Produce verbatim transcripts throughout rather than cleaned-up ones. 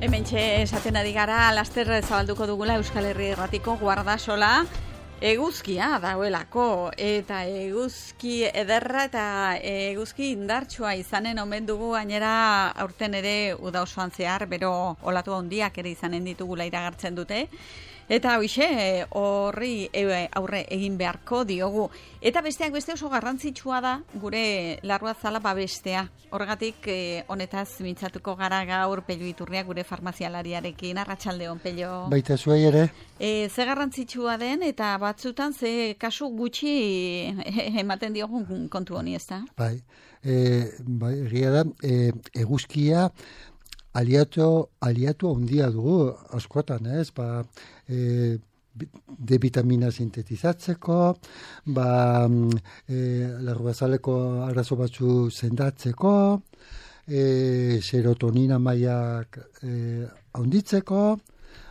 Hementxe esaten ari gara, laster zabalduko dugula Euskal Herri Irratiko Guardasola eguzkia dauelako, eta eguzki ederra eta eguzki indartsua izanen omen dugu, gainera aurten ere uda osoan zehar, bero olatu handiak ere izanen ditugula iragartzen dute. Eta hoxe, horri aurre egin beharko diogu. Eta besteak beste oso garrantzitsua da gure larruazala babestea. Horregatik honetaz mintzatuko gara gaur Pello Iturria gure farmazialariarekin. Arratsaldeon, Pello. Baita zuei ere. E, ze garrantzitsua den eta batzutan ze kasu gutxi ematen diogun kontu honi, ezta? Bai, e, bai, egia da, e, eguzkia aliatu, aliatu handia dugu askotan, ez? Ba, e, D vitamina sintetizatzeko, ba, e, larruazaleko arazo batzu sendatzeko, e, serotonina mailak e, handitzeko,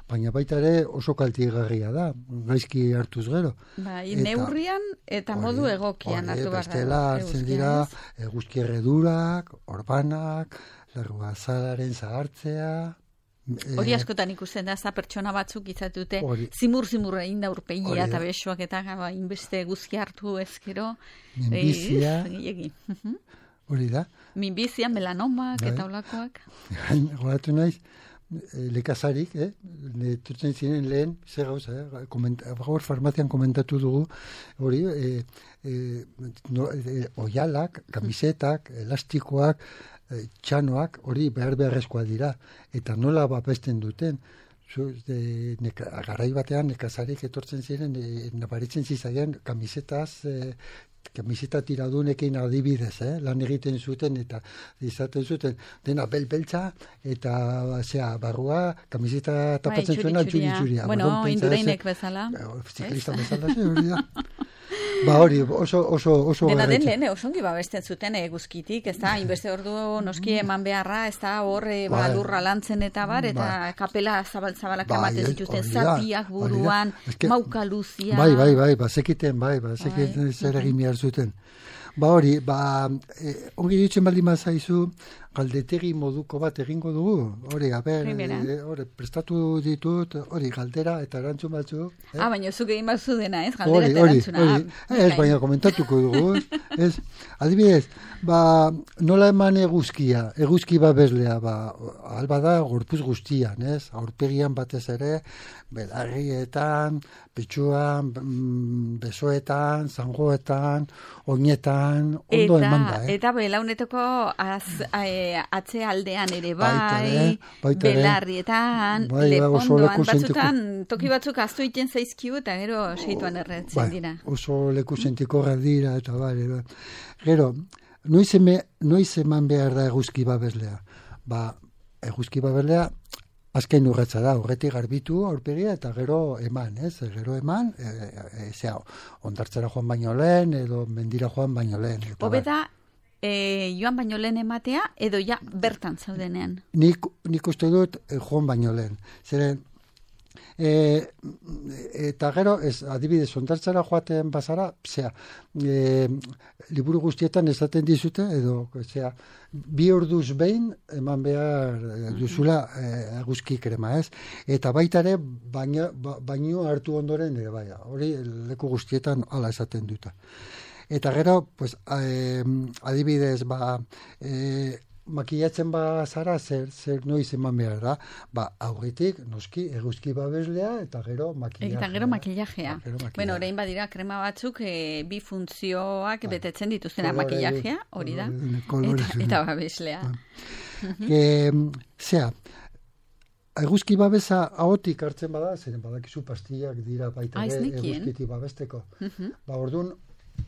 baina baita ere oso kaltegarria da, gaizki hartuz gero. Bai, neurrian eta modu egokian hartu behar da. Bestela hartzen dira eguzki erredurak, orbanak, larruazalaren zahartzea. Hori askotan ikusten da, za pertsona batzuk izatute zimur-zimur egin da urpegia eta besoak eta inbeste guzki hartu ezkero. Minbizia. Hori da. Minbizia, melanomak eta olakoak. Goratu naiz, lekazarik, eh? Turtzen ziren lehen, zer gauza, eh? Gaur farmazian komentatu dugu, hori, eh, eh, no, eh, oialak, kamisetak, elastikoak, txanoak hori behar beharrezkoa dira, eta nola babesten duten. De, neka, garai batean nekazarik etortzen ziren, e, nabaritzen zizaien kamisetaz, e, kamiseta tiradunekin adibidez, eh? Lan egiten zuten eta izaten zuten dena bel-beltza eta zea, barrua kamiseta tapatzen zuena txuri-txuria. Bueno, indureinek bezala. Ziklista bezala, ze hori da. Ba hori, oso, oso, oso... Dena den lehen, osongi babesten zuten eguzkitik, ez da, inbeste ordu noski eman beharra, ez da, hor ba, lurra lantzen eta bar, eta ba, kapela zabal-zabalak ba, ematen zituzten, zatiak buruan, eske, mauka luzia... Bai, bai, bai, ba, zekiten, bai, ba, zekiten zer egin behar zuten. Ba hori, ba, eh, ongi ditzen baldin mazaizu, galdetegi moduko bat egingo dugu, hori, a ber, e, hori, prestatu ditut, hori, galdera eta erantzun batzu. Eh? Ah, baina zuk egin batzu dena, ez, galdera eta erantzuna. Hori, hori, ez, baina komentatuko dugu, ez, adibidez, ba, nola eman eguzkia, eguzki babeslea, ba, alba da, gorpuz guztian, ez, aurpegian batez ere, belarrietan, petxuan, besoetan, zangoetan, oinetan, ondo eman da, eh? Eta belaunetako az, e, atze aldean ere bai, belarrietan, bai, lepondoan, batzutan, toki batzuk aztu iten zaizkiu eta gero seituan erretzen bai, dira. Oso leku sentiko dira eta bai, bai. Gero, noiz, eme, noiz eman behar da eguzki babeslea? Ba, eguzki babeslea azken urratza da, horretik garbitu aurpegia eta gero eman, ez? Gero eman, e, e, zera, ondartzera joan baino lehen, edo mendira joan baino lehen. Hobeda, e, joan baino lehen ematea, edo ja bertan zaudenean? Nik, nik uste dut e, joan baino lehen. Zeren, e, eta gero, ez, adibidez, ondartzera joaten bazara, zera, e, liburu guztietan esaten dizute, edo, zera, bi orduz behin eman behar duzula eguzki e, krema, ez? Eta baita ere baino, baino hartu ondoren ere baina. Hori leku guztietan hala esaten duta. Eta gero, pues, eh, adibidez, ba, eh, makillatzen ba zara, zer, zer noiz eman behar da, ba, aurretik, noski, eguzki babeslea, eta gero makillajea. Eta gero makillajea. Bueno, orain badira krema batzuk e, bi funtzioak ba, betetzen dituztena, makillajea, hori da, eta, eta babeslea. Ba. e, zea, eguzki babesa ahotik hartzen bada, zeren badakizu pastillak dira baita ere eguzkiti babesteko. Ba, orduan,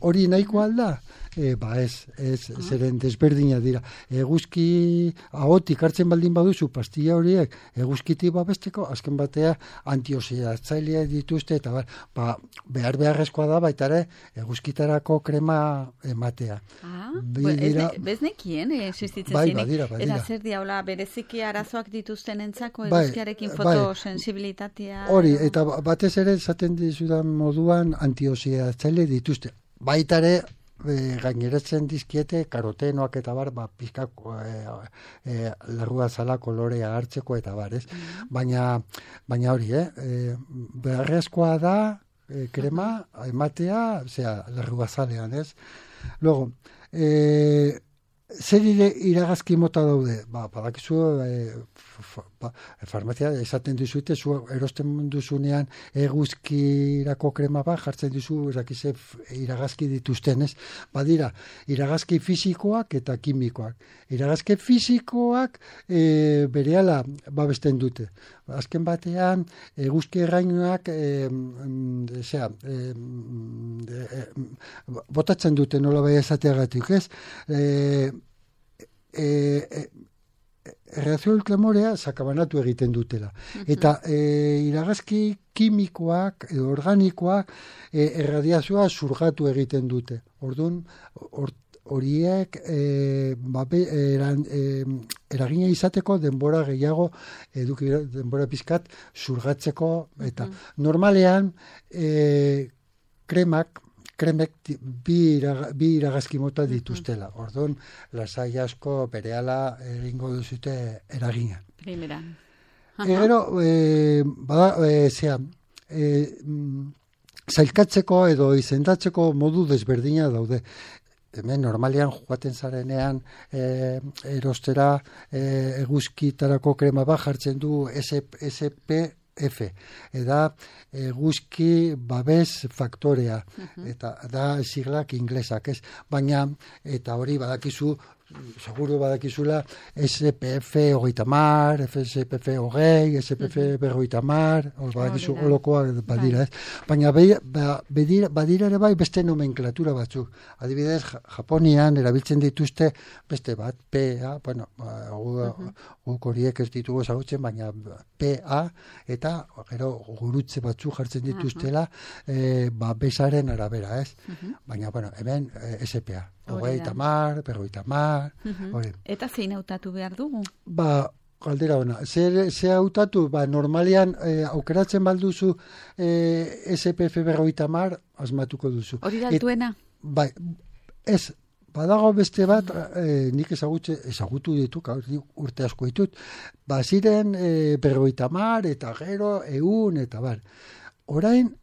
hori nahiko alda? E, ba ez, ez, ah. zeren desberdina dira. Eguzki ahotik hartzen baldin baduzu pastilla horiek eguzkiti babesteko, azken batea antioxidatzaileak dituzte, eta ba, ba, behar beharrezkoa da baita ere eguzkitarako krema ematea. Ah, dira, bez nekien, existitzen bai, zinik. Badira, badira. Eta zer diaula, bereziki arazoak dituzten entzako eguzkiarekin bai, fotosensibilitatea. Hori, eta batez ere zaten dizudan moduan antioxidatzaile dituzte. Baita ere, e, gaineratzen dizkiete karotenoak eta bar, ba, pizkako e, e, larrua zala kolorea hartzeko eta bar, ez? Mm. Baina, baina hori, eh? E, beharrezkoa da e, krema ematea, osea, larrua zalean, ez? Luego, e, zer iragazki mota daude? Ba, badakizu, e, fa, farmazia esaten duzute, zu erosten duzunean eguzkirako krema bat jartzen duzu, erakize iragazki dituzten, ez? Badira, iragazki fisikoak eta kimikoak. Iragazki fisikoak e, berehala babesten dute. Azken batean, eguzki errainuak e, zera, e, e, botatzen dute nola bai esateagatik, ez? E, e, e, erreakzio ultramorea sakabanatu egiten dutela. Eta e, iragazki kimikoak edo organikoak e, erradiazioa zurgatu egiten dute. Orduan, or, horiek e, babe, eran, e, eragina izateko denbora gehiago eduki denbora pizkat zurgatzeko eta normalean e, kremak kremek bi, iraga, bi iragazki mota dituztela. Orduan, lasai asko berehala egingo duzute eragina. Primera. Gero, e, bada, e, zea, e, zailkatzeko edo izendatzeko modu desberdina daude. Hemen normalean joaten zarenean e, erostera e, eguzkitarako krema bat jartzen du S P F, eta eguzki babes faktorea, uh-huh. eta da siglak inglesak, ez? Baina, eta hori badakizu, seguru badakizula S P F hogeita mar, S P F hogei, S P F berrogeita mar, badakizu holokoak badira, ez? Baina badira, badira ere bai beste nomenklatura batzuk. Adibidez, Japonian erabiltzen dituzte beste bat, P A, bueno, guk horiek ez ditugu ezagutzen, baina P A eta gero gurutze batzuk jartzen dituztela e, ba, besaren arabera, ez? Baina, bueno, hemen S P A. Hogeita mar, berrogeita mar. Uh-huh. Eta zein hautatu behar dugu? Ba, galdera ona. Zer, ze hautatu, ba, normalian eh, aukeratzen balduzu eh, S P F berrogeita mar, asmatuko duzu. Hori da altuena? Bai, ez, badago beste bat, eh, nik ezagutze, ezagutu ditu, urte asko ditut, ba, ziren eh, berrogeita mar, eta gero, eun, eta bar. Orain,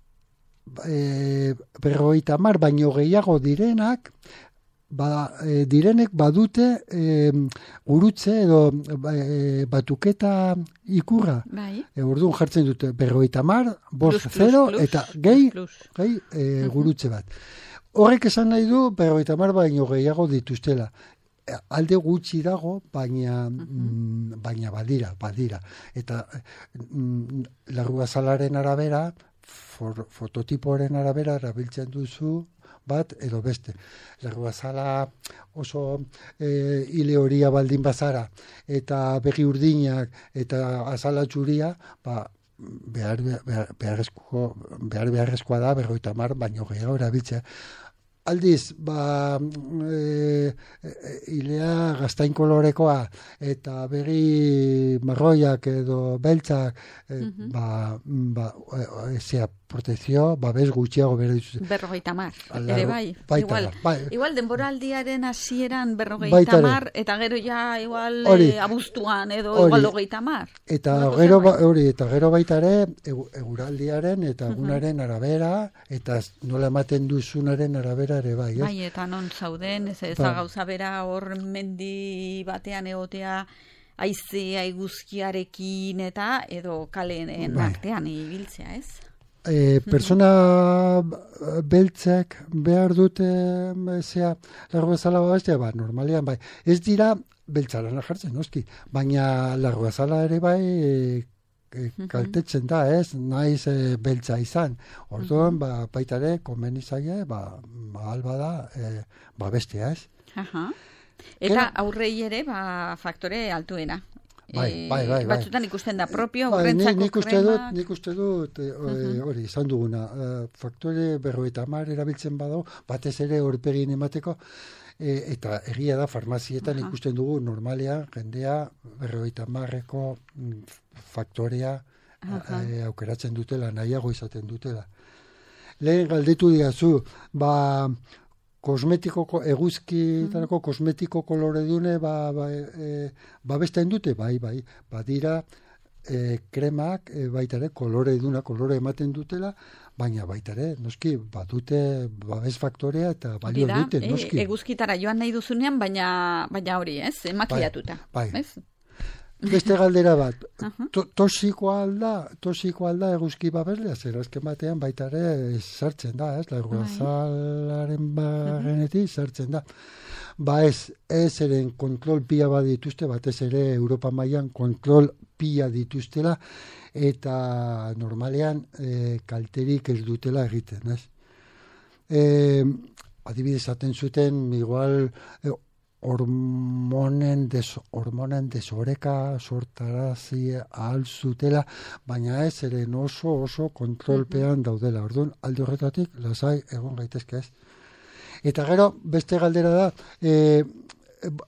eh, berrogeita mar, baino gehiago direnak, Ba, e, direnek badute e, gurutze edo e, batuketa ikurra. Bai. E, orduan jartzen dute berrogeita mar, bost zero eta gehi, gehi e, gurutze bat. Horrek esan nahi du berrogeita mar baino gehiago dituztela. E, alde gutxi dago, baina, mm, baina badira, badira. Eta mm, larruazalaren arabera, for, fototipoaren arabera erabiltzen duzu, bat edo beste. Larruazala oso e, hile horia baldin bazara eta begi urdinak eta azala txuria, ba, behar, behar, beharrezko, behar beharrezkoa da berrogeita hamar baino gehiago erabiltzea. Aldiz, ba, e, e, hilea gaztain kolorekoa eta begi marroiak edo beltzak, e, uh-huh. ba, ba, e, zea, protezio, babes gutxiago bere dituz. Berrogeita mar, ere bai. Baita, igual, bai. igual denboraldiaren hasieran berrogeita mar, eta gero ja igual ori, e, abuztuan edo ori, igual hogeita mar. Eta gero, ba, ori, eta gero baita ere, eguraldiaren eta egunaren uh-huh. arabera, eta nola ematen duzunaren arabera ere bai. Ez? Bai, eta non zauden, ez ez ba. Gauza bera hor mendi batean egotea, haizea eguzkiarekin eta edo kaleen bai. Artean ibiltzea, ez? E, persona beltzek behar dute zea largo bezala babestea, ba, normalean bai. Ez dira beltzaren jartzen, noski, baina largo bezala ere bai e, e, kaltetzen da, ez, naiz e, beltza izan. Orduan, ba, baita ere, konbeni zaie, ba, ba alba da, e, babestea, ez. Aha. Eta aurrei ere, ba, faktore altuena. Bai, bai, bai, bai. Batzutan ikusten da propio, bai, urrentzako nik uste kremak. Dut, nik uste dut, e, uh-huh. hori, izan duguna, e, faktore berrogeita hamar erabiltzen badago, batez ere horpegin emateko, e, eta egia da, farmazietan uh-huh. ikusten dugu, normalea, jendea berrogeita hamarreko faktorea uh-huh. e, aukeratzen dutela, nahiago izaten dutela. Lehen galdetu diazu, ba, kosmetikoko, eguzkitarako kosmetiko kolore dune, ba, ba, e, ba bestean dute, bai, bai, badira, E, kremak e, baita ere kolore duna, kolore ematen dutela, baina baita ere, noski, badute babes faktorea eta balio Bida, dute, noski. E, eguzkitara joan nahi duzunean, baina, baina hori, ez? Emakiatuta. Bai, bai. Ez? Beste galdera bat, Uh-huh. to, tosikoa alda, tosikoa alda eguzki babeslea, zer azken batean baita ere sartzen da, ez? Larguazalaren bagenetik sartzen da. Ba ez, ez eren kontrol pila bat dituzte, batez ere Europa mailan kontrol pila dituztela, eta normalean e, kalterik ez dutela egiten, ez? E, adibidez, aten zuten, igual, e, hormonen, des, hormonen desoreka sortarazi ahal zutela, baina ez eren oso oso kontrolpean daudela. Orduan, alde horretatik, lasai egon gaitezke ez. Eta gero, beste galdera da, e,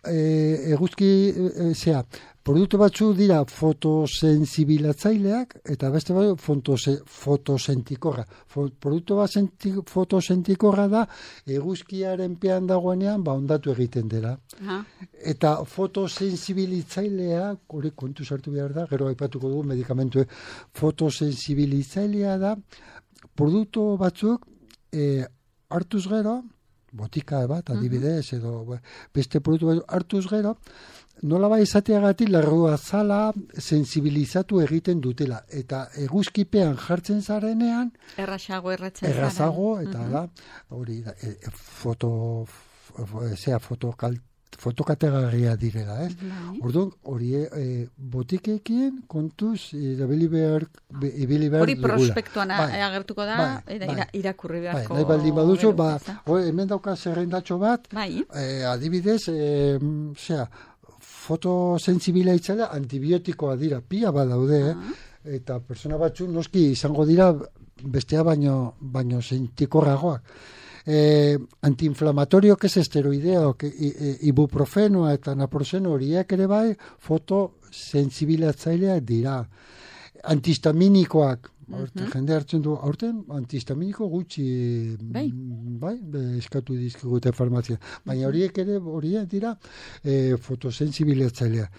e, eguzki, e, zea, produktu batzu dira fotosensibilatzaileak, eta beste bat fotose, fotosentikorra. Fo, produktu bat senti, fotosentikorra da, eguzkiaren pean dagoenean, ba, ondatu egiten dela. Uh-huh. Eta fotosensibilitzailea, hori kontu sartu behar da, gero aipatuko dugu medikamentu, fotosensibilitzailea da, produktu batzuk, e, hartuz gero, botika bat, adibidez, edo beste produktu bat, hartuz gero, nola bai izateagatik larruazala sensibilizatu egiten dutela. Eta eguzkipean jartzen zarenean, errazago erratzen zaren. Errazago, eta uh-huh. da, hori, da, e, foto, zera, fotokalt, fotokategarria direla, ez? Bai. Orduan, hori e, botikekin kontuz ibili behar ibili behar hori prospektuan bai. Agertuko da, bai, eta bai. Irakurri beharko. Bai, nahi baldin baduzu, ba, hemen dauka zerrendatxo bat, bai. e, adibidez, e, zera, fotosensibilaitzailea antibiotikoa dira, pila badaude, uh-huh. eh? Eta persona batzu noski izango dira bestea baino, baino sentikorragoak. Eh, antiinflamatorio, que es esteroideo, que, e, ibuprofenoa eta naproxeno horiek ere bai, fotosensibilatzaileak dira. Antihistaminikoak, Horten, uh-huh. jende hartzen du, aurten antihistaminiko gutxi bai, bai eskatu dizkigute farmazia. Baina horiek ere, horiek dira e, fotosensibilatzailea.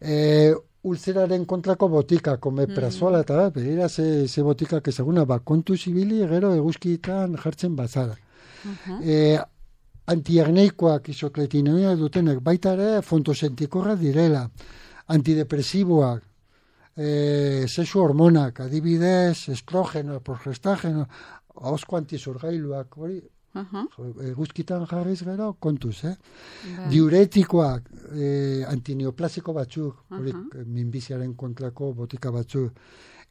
E, ulzeraren kontrako botika, komeprazola eta da, begira ze, ze botikak ezaguna, ba, kontu zibili gero eguzkitan jartzen bazara. Uh-huh. E, antiagneikoak isokletinoia dutenek, baita ere fontosentikorra direla. Antidepresiboak, E, sexu hormonak, adibidez, estrogeno, progestageno, ahosko antizorgailuak, hori, uh-huh. eguzkitan jarriz gero, kontuz, eh? Bai. Diuretikoak, e, antineoplasiko batzuk, hori, uh-huh. minbiziaren kontrako botika batzuk,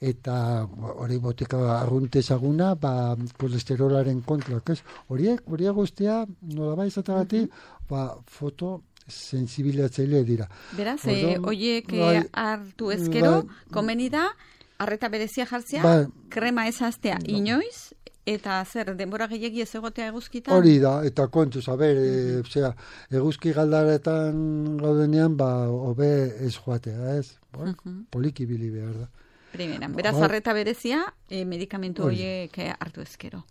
eta hori botika arrunte ezaguna, ba, kolesterolaren kontrak, ez? Horiek, horiek guztia, nola bai izatagatik, uh-huh. ba, foto, sensibilatzaile dira. Beraz, eh, oiek bai, hartu ezkero, bai, komeni da, arreta berezia jartzea, bai, krema ezaztea bai, inoiz, eta zer, denbora gehiagi ez egotea eguzkitan? Hori da, eta kontuz, a ber, mm-hmm. e, zera, eguzki galdaretan gaudenean, ba, hobe ez joatea, ez? Bon, mm-hmm. Poliki bili behar da. Primeran, beraz, ba, arreta berezia, e, medikamentu horiek hartu ezkero.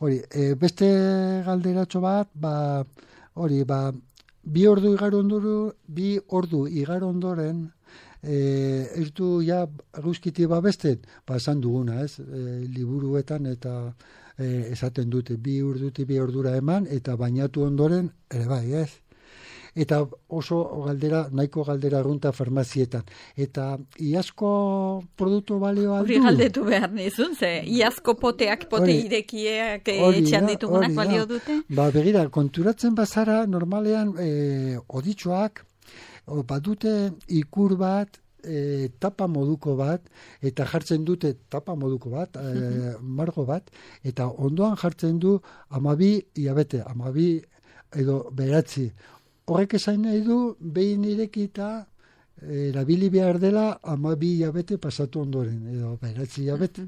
Hori, e, beste galderatxo bat, ba, hori, ba, Bi ordu igaro ondoro, bi ordu igaro ondoren, eh, ez du ja eguzkiti babesten, ba esan duguna, ez, e, liburuetan eta e, esaten dute, bi orduti bi ordura eman, eta bainatu ondoren, ere bai, ez. Eta oso galdera, nahiko galdera arrunta farmazietan. Eta iazko produktu balioa du? Hori galdetu behar nizun, ze iazko poteak, pote ori, irekiek etxean ditugunak balio dute? Ba, begira, konturatzen bazara, normalean e, oditxoak, badute ikur bat, e, tapa moduko bat, eta jartzen dute tapa moduko bat, e, margo bat, eta ondoan jartzen du amabi hilabete, amabi edo beratzi. Horrek esan nahi du, behin irekita erabili behar dela amabi hilabete pasatu ondoren, edo beratzi hilabete.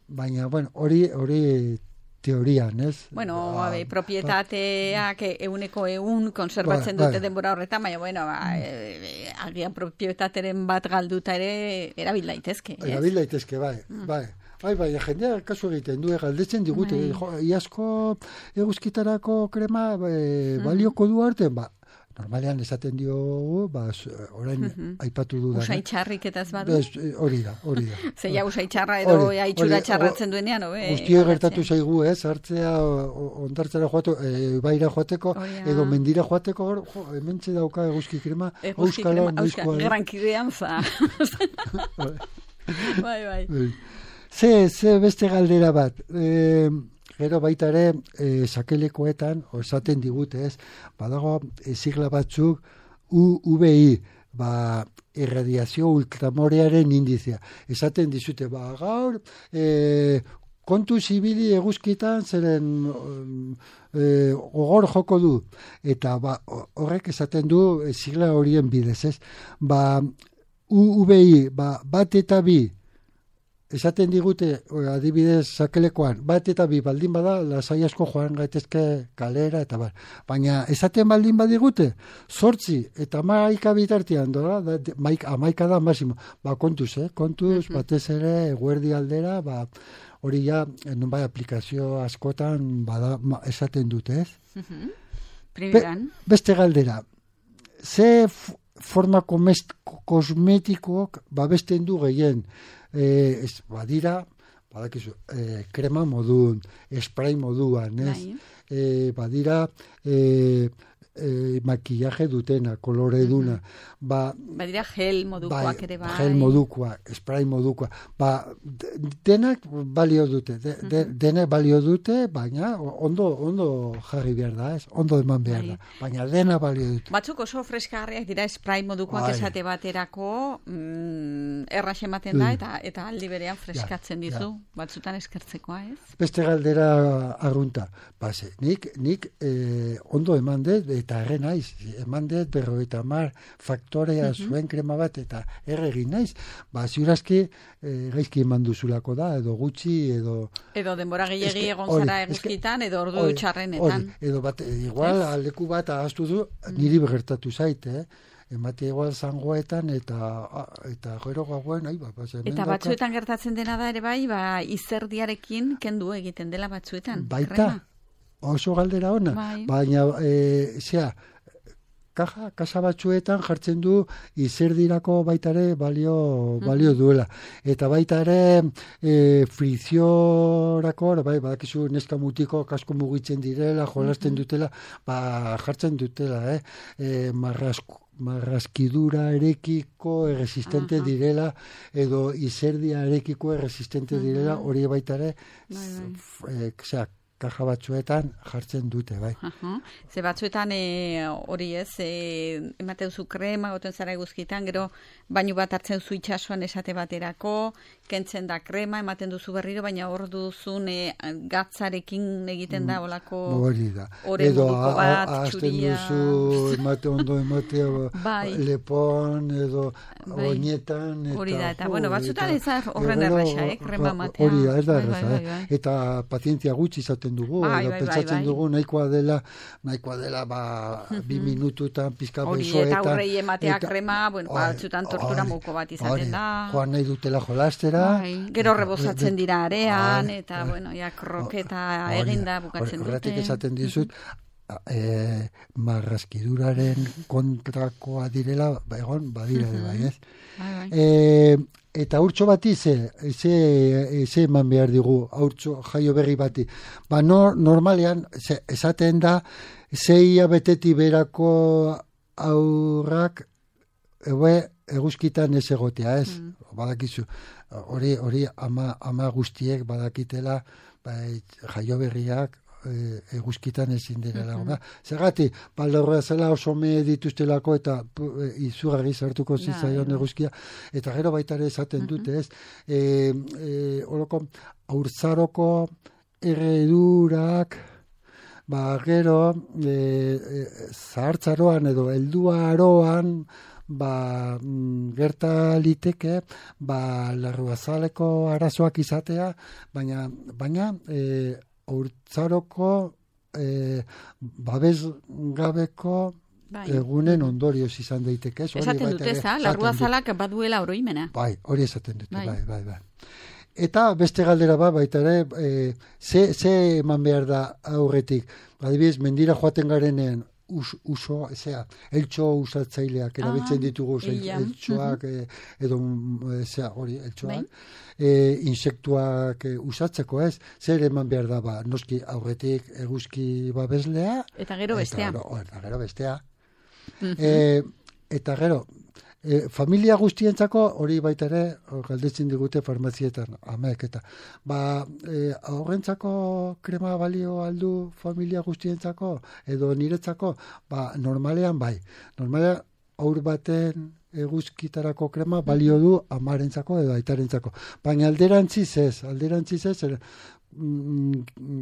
Baina, bueno, hori hori teorian, ez? Bueno, ba, abe, propietateak ba, euneko eun konserbatzen ba, dute ba, denbora horretan, baina, bueno, ba, e, agian propietateren bat galduta ere erabil daitezke, ez? Erabil daitezke, bai, mm. bai. Bai, bai, jendea kasu egiten du, galdetzen digute, jo, iazko eguzkitarako krema e, balioko du arte, ba, normalean esaten diogu, ba, orain uh-huh. aipatu dudan. Usai txarrik eta ez badu? Hori da, hori da. Zeia usai txarra edo haitxura txarratzen duenean, hobe? Guztia gertatu zaigu, ez, hartzea, ondartzara joatu, e, baira joateko, oh, ja. edo mendira joateko, jo, hementxe dauka eguzki krema, euskalo, noizkoa. Grankidean za. Bai, bai. Ze, ze beste galdera bat, e, gero baita ere, e, sakelekoetan, esaten digute, ez, badago, e, sigla batzuk, U V I, ba, irradiazio ultramorearen indizia. Esaten dizute, ba, gaur, e, kontu zibili eguzkitan, zeren e, gogor joko du. Eta, ba, horrek esaten du, e, sigla horien bidez, ez. Ba, U V I, ba, bat eta bi, esaten digute, adibidez sakelekoan, bat eta bi baldin bada, lasai asko joan gaitezke kalera, eta bar. Baina esaten baldin badigute, zortzi eta maika bitartian, dola, da, maik, amaika da masimo. Ba, kontuz, eh? Kontuz, uh-huh. batez ere, eguerdi aldera, ba, hori ja, non bai aplikazio askotan, bada, ma, esaten dute, ez? Uh-huh. Primeran. Be, beste galdera, ze forma kosmetikoak babesten du gehien, Eh, ez, badira, badakizu, eh, krema modun, spray moduan, ez? Eh, badira, eh, eh, makillaje dutena, koloreduna. Uh-huh. Ba, badira gel modukoak ere bai. Gel modukoa, spray modukoa. Ba, denak balio dute, de, de, uh-huh. denak balio dute, baina ondo, ondo jarri behar da, ez? Ondo eman behar bai. da, baina dena balio dute. Batzuk oso freskagarriak dira spray modukoak bai. esate baterako mm, errax ematen da, eta, eta aldi berean freskatzen ja, dizu, ja. batzutan eskertzekoa, ez? Beste galdera arrunta, base, nik, nik eh, ondo eman dut, eta erre naiz, eman dut berrogeita hamar faktorea uh-huh. zuen krema bat, eta erre egin naiz, ba, ziurazki eh, gaizki eman duzulako da, edo gutxi, edo... Edo denbora gehiagi egon zara eguzkitan, edo ordu ori, txarrenetan. Ori, edo bat, igual, es? Aldeku bat ahaztu du, niri begertatu zait, eh? Emate igual zangoetan, eta eta gero gauen, ai, ba, base, eta batzuetan daka... gertatzen dena da ere bai, ba, izerdiarekin kendu egiten dela batzuetan. Baita, krema. Oso galdera ona, bai. Baina, e, zera, kaja, kasa batzuetan jartzen du izerdirako baitare balio, balio duela. Eta baitare e, friziorako, bai, badakizu neska mutiko kasko mugitzen direla, jolasten dutela, ba, jartzen dutela, eh? E, marrasko marraskidura erekiko erresistente uh-huh. direla, edo izerdia erekiko erresistente uh-huh. direla, hori baitare, bai, bai. E, zera, kaja batzuetan jartzen dute, bai. Uh-huh. Ze batzuetan hori e, ez, e, emate duzu krema, goten zara eguzkitan, gero bainu bat hartzen zu itxasuan esate baterako, kentzen da krema, ematen duzu berriro, baina hor duzun e, gatzarekin egiten da olako hori da. Ore edo moduko bat, azten duzu, emate ondo emate bai. lepon, edo bai. oinetan. Eta, hori da, eta bueno, batzutan ez horren erraxa, eh, krema matea. Hori da, ez da erraxa, bai, bai, bai, bai. Eta pazientzia gutxi izaten dugu, bai, bai, pentsatzen bai, bai. dugu nahikoa dela, nahikoa dela, ba, bi minututan, pizka besoetan. Hori, eta aurrei ematea eta, krema, bueno, batzutan tortura moko bat izaten da. Joan nahi dutela jolastera. Bai, gero rebozatzen dira arean, bai, eta, bai. bueno, ja, kroketa eginda bukatzen dute. Horretik esaten dizut, eh, marraskiduraren kontrakoa direla, ba, egon, badira, uh-huh. bai, ez? Bai, bai. Eh, eta urtso bati ze, ze, ze eman behar digu, urtso jaio berri bati. Ba, no, normalean, ze, esaten da, zeia beteti berako aurrak, eue, eguzkitan ez egotea, ez? Mm. Badakizu, hori, hori ama, ama guztiek badakitela, bai, jaio berriak, eguzkitan ezin direla. Uh-huh. Zergati, baldorra zela oso me dituztelako eta izugarri sartuko zitzaion eguzkia, eta gero baita ere esaten uh-huh. dute, ez? E, e, oroko, aurzaroko erredurak, ba, gero, e, e, zahartzaroan edo helduaroan, ba, gerta liteke, ba, larruazaleko arazoak izatea, baina, baina, e, Hortzaroko eh, babes gabeko bai. egunen ondorioz izan daiteke. Esaten dute, za, larruazalak baduela oroimena. Bai, hori esaten dute, bai, bai, bai. bai. eta beste galdera ba, baita ere, e, ze, ze eman behar da aurretik. Adibidez, mendira joaten garenean, Us, uso, ezea, eltxo usatzaileak erabiltzen ditugu, el, eltxoak, uh-huh. e, edo, ezea, hori, eltxoak, e, insektuak e, usatzeko ez, zer eman behar da, ba, noski aurretik eguzki babeslea. Eta gero bestea. Eta, o, eta gero bestea. Uh-huh. e, eta gero, e, familia guztientzako, hori baita ere, galdetzen digute farmazietan, amek, eta, ba, e, aurrentzako krema balio aldu familia guztientzako, edo niretzako, ba, normalean bai. Normalean, aur baten eguzkitarako krema balio du amarentzako edo aitarentzako. Baina alderantziz ez, alderantziz ez, er, mm,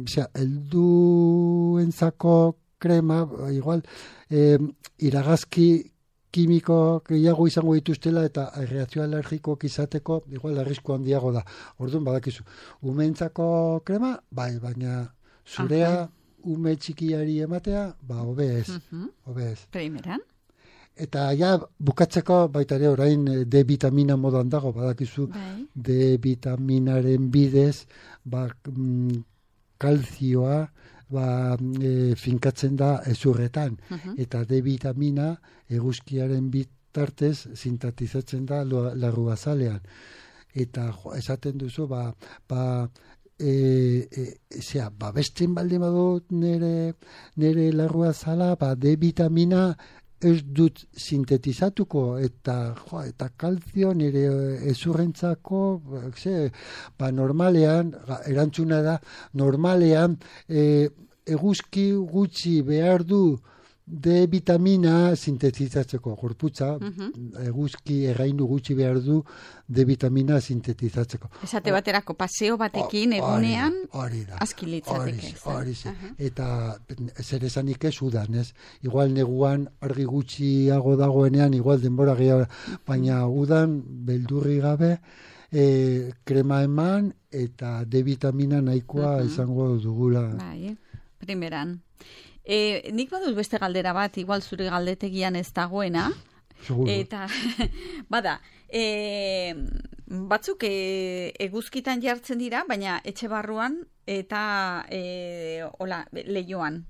zera, helduentzako krema, igual, e, iragazki kimiko gehiago izango dituztela eta reakzio alergikoak izateko igual arrisku handiago da. Orduan badakizu. Umeentzako krema, bai, baina zurea Aha. ume txikiari ematea, ba, hobe ez. Uh-huh. Hobe ez. Primeran. Eta ja, bukatzeko baita ere orain D vitamina modan dago, badakizu. Bai. D vitaminaren bidez, ba, mm, kalzioa, ba, e, finkatzen da ezurretan. Uh-huh. Eta D vitamina eguzkiaren bitartez sintetizatzen da larruazalean. Eta jo, esaten duzu, ba, ba, e, e, zera, ba, besten baldin badut nire, nire larruazala, ba, D vitamina ez dut sintetizatuko eta jo, eta kalzio nire ezurrentzako ze, ba, normalean erantzuna da normalean e, eguzki gutxi behar du D vitamina sintetizatzeko gorputza, uh-huh. eguzki errainu gutxi behar du D vitamina sintetizatzeko. Esate baterako paseo batekin o, egunean askilitzateke. Hori, uh-huh. Eta zer esanik ez udan, ez? Igual neguan argi gutxiago dagoenean, igual denbora gehiago, baina udan beldurri gabe e, krema eman eta D vitamina nahikoa uh-huh. izango dugula. Bai, primeran. E, nik baduz beste galdera bat, igual zure galdetegian ez dagoena. Seguro. Eta, bada, e, batzuk e, eguzkitan jartzen dira, baina etxe barruan eta e, hola, lehioan,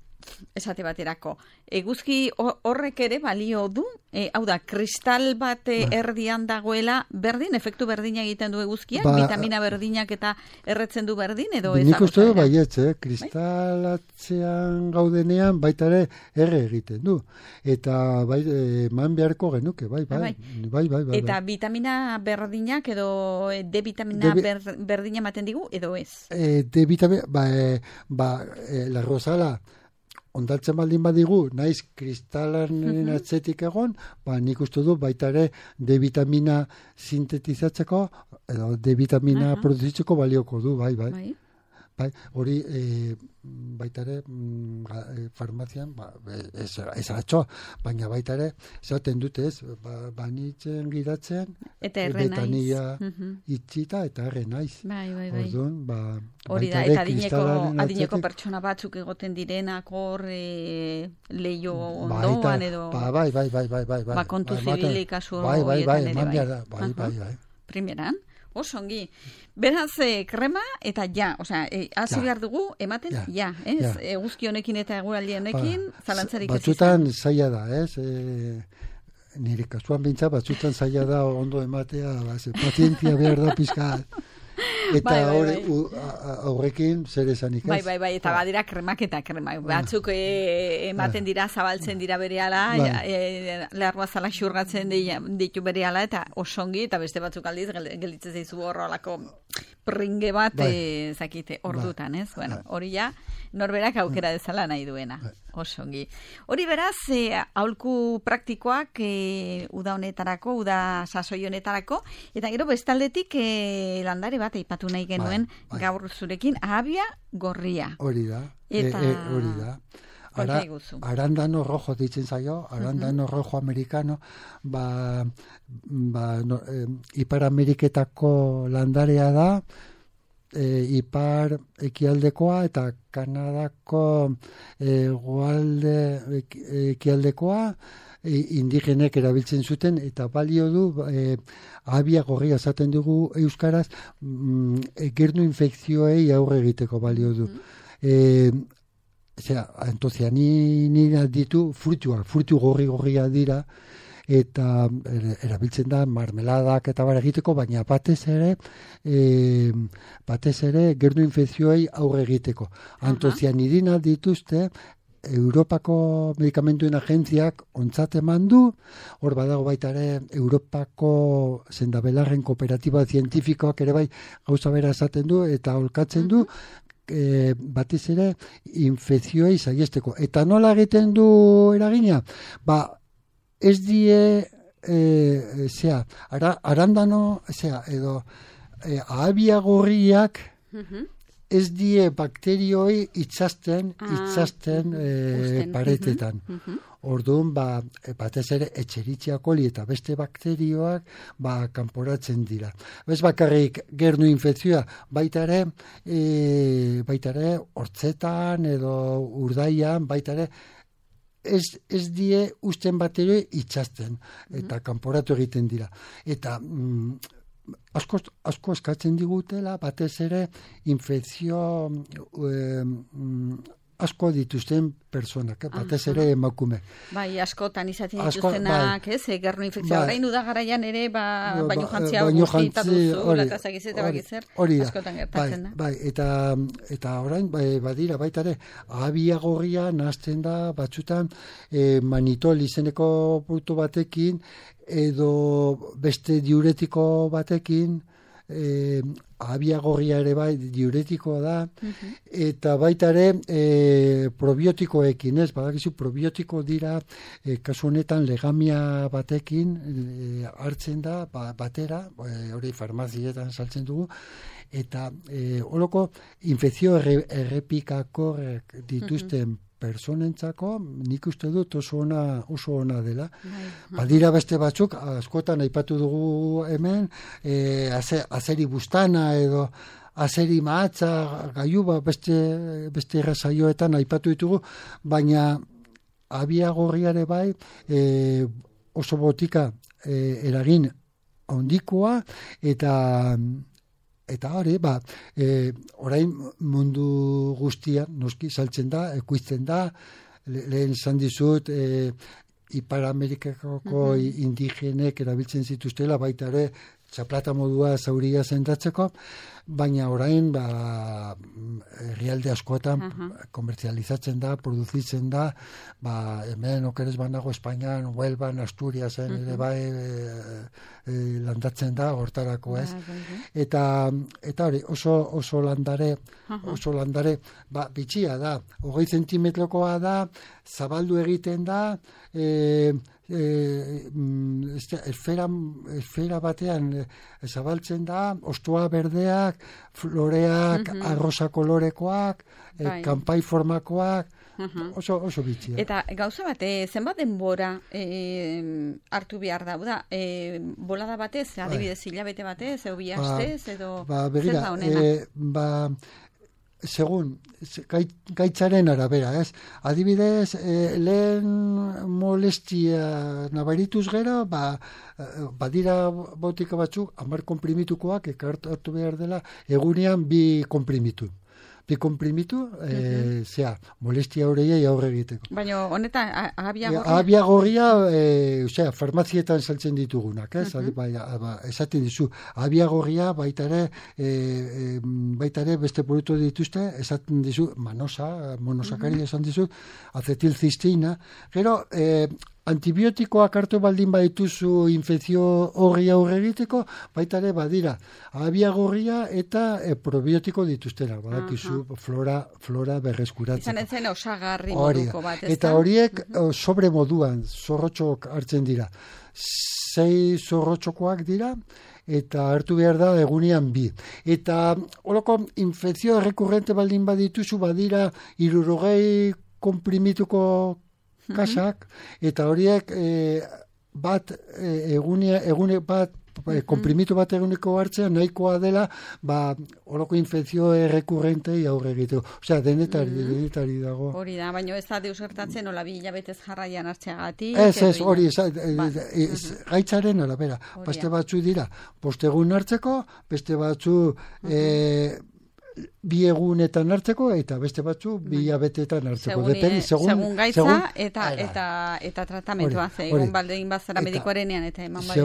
esate baterako. Eguzki horrek ere balio du, e, hau da, kristal bat ba. erdian dagoela, berdin, efektu berdina egiten du eguzkiak, ba, vitamina berdinak eta erretzen du berdin, edo ez? Nik uste du baietz, eh? Kristalatzean gaudenean baita ere erre egiten du. Eta bai, eman beharko genuke, bai, bai. bai. bai, bai, bai eta bai. vitamina berdinak edo D vitamina de, ber, berdina ematen digu, edo ez? E, D vitamina, ba, e, ba e, la rosala, ondatzen baldin badigu, naiz kristalaren uh-huh. atzetik egon, ba, nik uste du baita ere D vitamina sintetizatzeko, edo D vitamina uh-huh. produzitzeko balioko du, bai, bai. bai. Bai, hori e, baita ere mm, farmazian, ba, ez, ez atxo, baina baita ere, esaten dute ez, ba, banitzen gidatzen, eta erre naiz. Uh-huh. Itxita eta erre naiz. Bai, bai, bai. Orduan, ba, hori da, eta adineko, adineko pertsona batzuk egoten direnak hor e, leio ondoan edo... Ba, bai, bai, bai, bai, bai. Ba, kontu zibilik kasu bai, bai, bai, bai, bai, bai, bai, bai, bai. Primeran? Osongi. Beraz, eh, krema eta ja, osea, eh, hasi behar dugu ematen ja, ja ez? Ja. Eguzki honekin eta eguraldi honekin, ba, zalantzarik ez izan. Batzutan zaila da, ez? E, nire kasuan bintza, batzutan zaila da ondo ematea, ba, pazientzia behar da pizka. Eta bai, bai, bai. Aurrekin zer esanik ez? Bai, bai, bai, eta badira kremak eta krema. Batzuk e, ematen dira, zabaltzen dira berehala, bai. e, leharroa zala xurgatzen ditu berehala, eta osongi, eta beste batzuk aldiz, gelditzen zaizu horrelako pringe bat, bai. e, zakite, ordutan, ez? Bai. Bueno, hori ja, norberak aukera dezala nahi duena. Bai. Osongi. Hori beraz, e, aholku praktikoak e, uda honetarako, uda sasoi honetarako, eta gero bestaldetik e, landare bat eipatu nahi genuen bai, bai. gaur zurekin, ahabia gorria. Hori da, eta... e, e, hori da. Ara, arandano rojo ditzen zaio, arandano uh-huh. rojo americano, ba, ba no, eh, Ipar Ameriketako landarea da, e, ipar ekialdekoa eta Kanadako hegoalde ekialdekoa indigenek erabiltzen zuten, eta balio du e, abia gorria esaten dugu euskaraz, mm, e, gernu infekzioei aurre egiteko balio du. E, Zera, antocianina ditu fruituak, fruitu gorri-gorria dira, eta erabiltzen da marmeladak eta bar egiteko, baina batez ere e, batez ere gernu infekzioei aurre egiteko. Antocianidina dituzte Europako medikamenduen agentziak ontzat eman du, hor badago baita ere Europako sendabelarren kooperatiba zientifikoak ere bai gauza bera esaten du eta olkatzen du, E, batez ere infekzioei saiesteko. Eta nola egiten du eragina? Ba, ez die e, zea, ara, arandano zea, edo e, ahabia gorriak ez die bakterioi itxasten itxasten ah, e, paretetan. Uh-huh. Orduan, ba, batez ere etxeritzia koli eta beste bakterioak ba, kanporatzen dira. Bez bakarrik gernu infekzioa, baita ere, e, baita ere, hortzetan edo urdaian, baita ere, ez, ez die usten bakterioi itxasten eta kanporatu egiten dira. Eta mm, asko, asko eskatzen digutela, batez ere, infekzio e, mm, asko dituzten personak, eh? Batez ere emakume. Bai, askotan izaten dituztenak, bai. Ez, gernu infekzioa. Bai. Orain udagaraian ere, ba, ba, baino jantzia guztieta duzu, latazak izeta bakitzer, askotan gertatzen da. Bai, eta, eta orain, bai, badira, baita ere, ahabia gorria nahazten da, batzutan, eh, manitol izeneko produktu batekin, edo beste diuretiko batekin, eh, ahabia gorria ere bai diuretikoa da, uh-huh. Eta baita ere e, probiotikoekin, ez, badakizu probiotiko dira e, kasu honetan legamia batekin e, hartzen da ba, batera, e, hori farmazietan saltzen dugu, eta e, holoko infekzio erre, errepikakorrek dituzten uh-huh. personentzako, nik uste dut oso ona, oso ona dela. Bai. Badira beste batzuk, askotan aipatu dugu hemen, e, azeri bustana edo azeri mahatza, gaiuba, beste, beste errazaioetan aipatu ditugu, baina abia gorriare bai, e, oso botika e, eragin handikoa, eta Eta hori, ba, e, orain mundu guztia noski saltzen da, ekoizten da, le, lehen esan dizut, e, Ipar Amerikako uh-huh. indigenek erabiltzen zituztela, baita ere, txaplata modua zauria zendatzeko, baina orain, ba, herrialde askotan uh-huh. komertzializatzen da, produzitzen da, ba, hemen okeres banago Espainian, Huelvan, Asturiasen, uh-huh. ere bai, e, e, landatzen da, hortarako ez. Uh-huh. Eta, eta hori, oso, oso landare, uh-huh. oso landare, ba, bitxia da, hogei zentimetrokoa da, zabaldu egiten da, e, e, este, esfera, esfera batean e, zabaltzen da, ostua berdeak, floreak, uh-huh. arrosa kolorekoak, e, kanpai formakoak, uh-huh. oso, oso bitxia. Eta gauza bate, zenbat denbora e, hartu behar da, da e, bolada batez, adibidez hilabete batez, edo bi hastez, edo ba, begira, zer da honena? E, ba, segun, gaitzaren arabera, ez? Adibidez, eh, lehen molestia nabarituz gero, ba, badira botika batzuk, hamar konprimitukoak, ekartu behar dela, egunean bi konprimitu. Bi konprimitu, e, uh-huh. zea, molestia horreiei aurre egiteko. Baina honetan, ahabia gorria? Ahabia gorria, e, osea, farmazietan saltzen ditugunak, ez? Uh-huh. Ba, ba, esaten dizu, ahabia gorria baita ere, e, e, baita ere beste produktu dituzte, esaten dizu, manosa, monosakari uh-huh. esan dizu, acetilcistina, gero, e, antibiotikoak hartu baldin badituzu infekzio horri aurre egiteko, baita ere badira ahabia gorria eta e, probiotiko dituztera, badakizu flora, flora berreskuratzeko. Izan ezen osagarri moduko bat, ez da? Eta horiek uh-huh. sobre moduan zorrotxok hartzen dira. Sei zorrotxokoak dira, eta hartu behar da egunean bi. Eta holoko infekzio errekurrente baldin badituzu, badira hirurogei konprimituko kasak, eta horiek e, bat e, egune, egune bat konprimitu bat eguneko hartzea nahikoa dela, ba, oroko infekzio errekurrentei aurre egiteko. Osea, denetari, mm. denetari dago. Hori da, baina ez da deus gertatzen, nola bi hilabetez jarraian hartzeagatik. Ez, ez, hori, gaitzaren arabera. Beste batzu dira, postegun hartzeko, beste batzu e, bi egunetan hartzeko, eta beste batzu bi hilabetetan hartzeko. Segun, Depende, segun, segun gaitza segun, eta, eta, eta tratamentua. Egon baldein bazara medikoarenean eta eman bai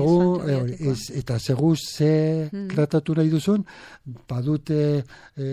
ez, eta segun ze hmm. tratatu nahi duzun, badute e,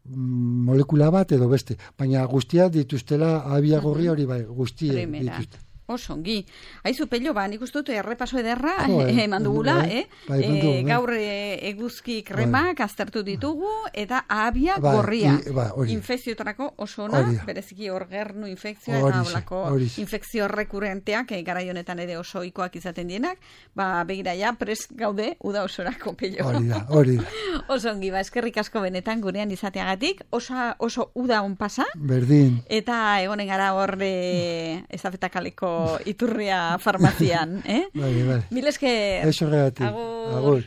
molekula bat edo beste. Baina guztia dituztela abiagorri hori bai, guztia dituzte. Oso, ongi. Aizu, Pello, ba, nik uste dut errepaso ederra eman dugula, eh? Bai, eh? Gaur eguzki kremak aztertu ditugu, eta ahabia ba, gorria. I, ba, infekzioetarako oso ona, bereziki orgernu infekzioa, eta holako infekzio rekurrenteak, eh, garai honetan ere oso ohikoak izaten dienak, ba, begira ja, prest gaude, uda osorako, Pello. Hori da, hori da. Oso ongi, ba, eskerrik asko benetan gurean izateagatik, oso, oso uda on pasa. Berdin. Eta egonen gara hor ezafetakaleko iturria farmazian, eh? Vale, vale. Mil esker. Eso regati. Agur. Agur.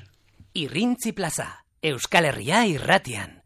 Irrintzi plaza, Euskal Herria irratian.